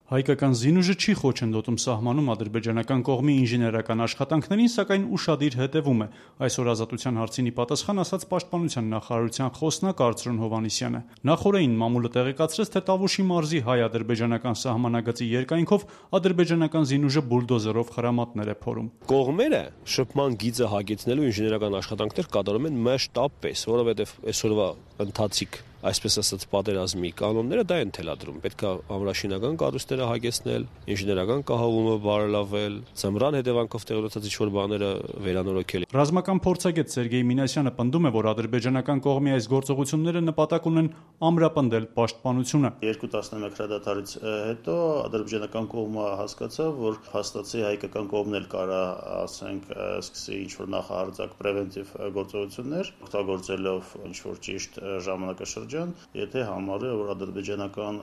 Հայկական զինուժը չի խոչընդոտում սահմանում ադրբեջանական կողմի ինժեներական աշխատանքներին, սակայն ուշադիր հետևում է։ Այսօր Ազատության հարցինի պատասխան ասաց Պաշտպանության նախարարության խոսնակ Արծրուն Հովհաննիսյանը։ Նախորդին մամուլը տեղեկացրեց, թե Տավուշի մարզի հայ-ադրբեջանական սահմանագծի երկայնքով ադրբեջանական զինուժը բուլդոզերով խրամատներ է փորում։ Կողմերը շփման գիծը հագեցնելու ինժեներական աշխատանքներ կատարում են մշտապես, որովհետև այսօրվա ընթացիկ այսպես ասած պատերազմի կանոնները դա են թելադրում։ Պետք է ամրաշինական կառույցները հագեցնել, ինժեներական կահավորումը բարելավել, ձմռան հետևանքով տեղի ինչ-որ բաները վերանորոգել։ Ռազմական փորձագետ Սերգեյ Մինասյանը պնդում է, որ ադրբեջանական կողմի այս գործողությունները նպատակ ունեն ամրապնդել պաշտպանությունը։ 2 տասնամյակ հրադադարից հետո ադրբեջանական կողմը հասկացավ, որ հաստատի հայկական կողմն էլ կարա, ասենք, սկսի ինչ-որ նախահարձակ պրևենտիվ գործողություններ, օգտագործելով ինչ-որ ճիշտ ժամանակաշրջան, եթե համարը, որ ադրբեջանական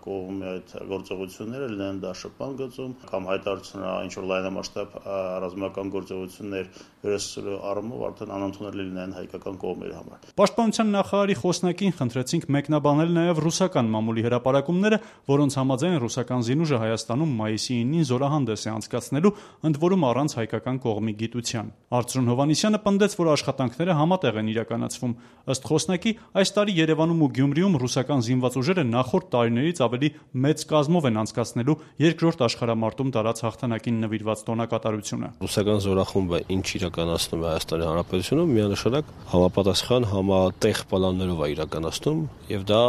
կողմի այդ գործողությունները լինեն դաշտպան գծում կամ հայտարարությունները ինչ-որ լայնամասշտաբ ռազմական գործողություններ վերահսկելու առումով արդեն անընդունելի լինեն հայկական կողմերի համար։ Պաշտպանության նախարարի խոսնակին խնդրեցինք մեկնաբանել նաև ռուսական մամուլի հրապարակումները, որոնց համաձայն ռուսական զինուժը Հայաստանում մայիսի 9-ին զորահանդես է անցկացնելու, ընդ որում առանց հայկական կողմի գիտության։ Արծրուն Հովհաննիսյանը պնդեց, որ աշխատանքները համատեղ են իրականացվում։ Ըստ խոսնակի, այս տարի Երևանում ու Գյումրիում ռուսական զինված ուժերը նախորդ տարիներից ավելի մեծ կազմով են անցկացնելու երկրորդ աշխարհամարտում տարած հաղթանակին նվիրված տոնակատարությունը։ Ռուսական զորախումբը ինչ իրականացնում է Հայաստանի Հանրապետությունում, միանշանակ համապատասխան համատեղ պլաններով է իրականացնում, եւ դա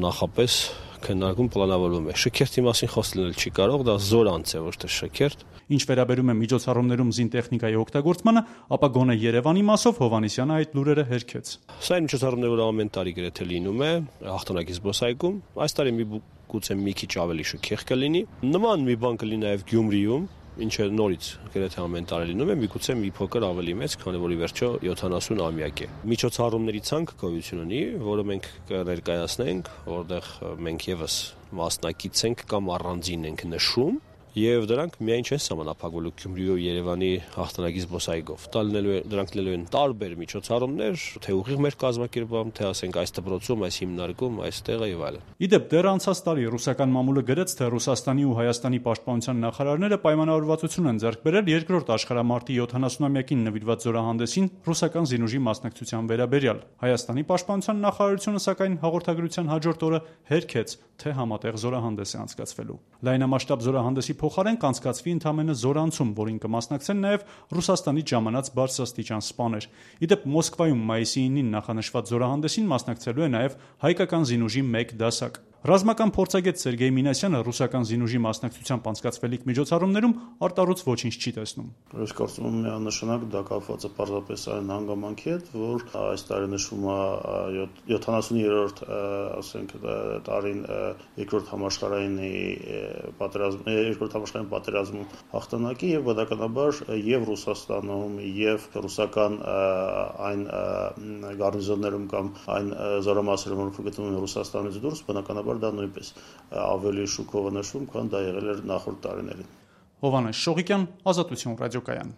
նախապես քննարկում պլանավորվում է։ Շքերթի մասին խոսել չի կարող, դա զորանց է, ոչ թե շքերթ։ Ինչ վերաբերում է միջոցառումներում զինտեխնիկայի օգտագործմանը, ապա գոնե Երևանի մասով Հովհաննիսյանը այդ լուրերը հերքեց։ Սա այն միջոցառումները, որ ամեն տարի գրեթե լինում է հաղթանակի զբոսայգում, այս տարի գուցե մի քիչ ավելի շքեղ կլինի։ Նման մի բան կլինի նաև Գյումրիում, ինչը նորից գրեթե ամեն տարի լինում է, միգուցե մի փոքր ավելի մեծ, քանի որ ի վերջո 70-ամյակ է։ Միջոցառումների ցանկ գոյություն ունի, որը մենք կներկայացնենք, որտեղ մենք եւս մասնակից ենք կամ առանձին ենք նշում, եւ դրանք միայն չեն սահմանափակվելու Գյումրիի ու Երևանի հաղթանակի զբոսայգով։ Դրանք լինելու են տարբեր միջոցառումներ, թե ուղիղ մեր կազմակերպում, թե ասենք այս դպրոցում, այս հիմնարկում, այս տեղը եւ այլն։ Իդեպ դեռ անցած տարի ռուսական մամուլը գրեց, թե Ռուսաստանի ու Հայաստանի պաշտպանության նախարարները պայմանավորվածություն են ձեռք բերել երկրորդ աշխարհամարտի 70-ամյակին նվիրված զորահանդեսին ռուսական զինուժի մասնակցության վերաբերյալ։ Հայաստանի պաշտպանության նախարարությունը սակայն հաղորդագրության հաջորդ օրը հերքեց, թե համատեղ զորահանդես է անցկացվելու։ Լայնամասշտաբ զորահանդեսի փոխարեն կանցկացվի ընդամենը զորանցում, որին կմասնակցեն նաև Ռուսաստանից ժամանած բարձրաստիճան սպաներ։ Իդեպ Մոսկվայում մայիսի 9-ին նախանշված զորահանդեսին մասնակցելու է նաև հայկական զինուժի 1 դասակ։ Ռազմական փորձագետ Սերգեյ Մինասյանը ռուսական զինուժի մասնակցությամբ անցկացվելիք միջոցառումներում արտառոց ոչինչ չի տեսնում։ Ես կարծում եմ միանշանակ դա կապված է պարզապես այն հանգամանքի հետ, որ այս տարի նշվում է 73-րդ, ասենք, տարին երկրորդ համաշխարհային պատերազմում հաղթանակի եւ բնականաբար եւ Ռուսաստանում եւ ռուսական այն գարնիզոններում կամ այն զորամասերում, որ գտնվում են Ռուսաստանից դուրս, բնականաբար դա նույնպես ավելի շուկով նշվում, քան դա եղել էր նախորդ տարիներին։ Հովհաննես Շողիկյան, Ազատություն ռադիոկայան։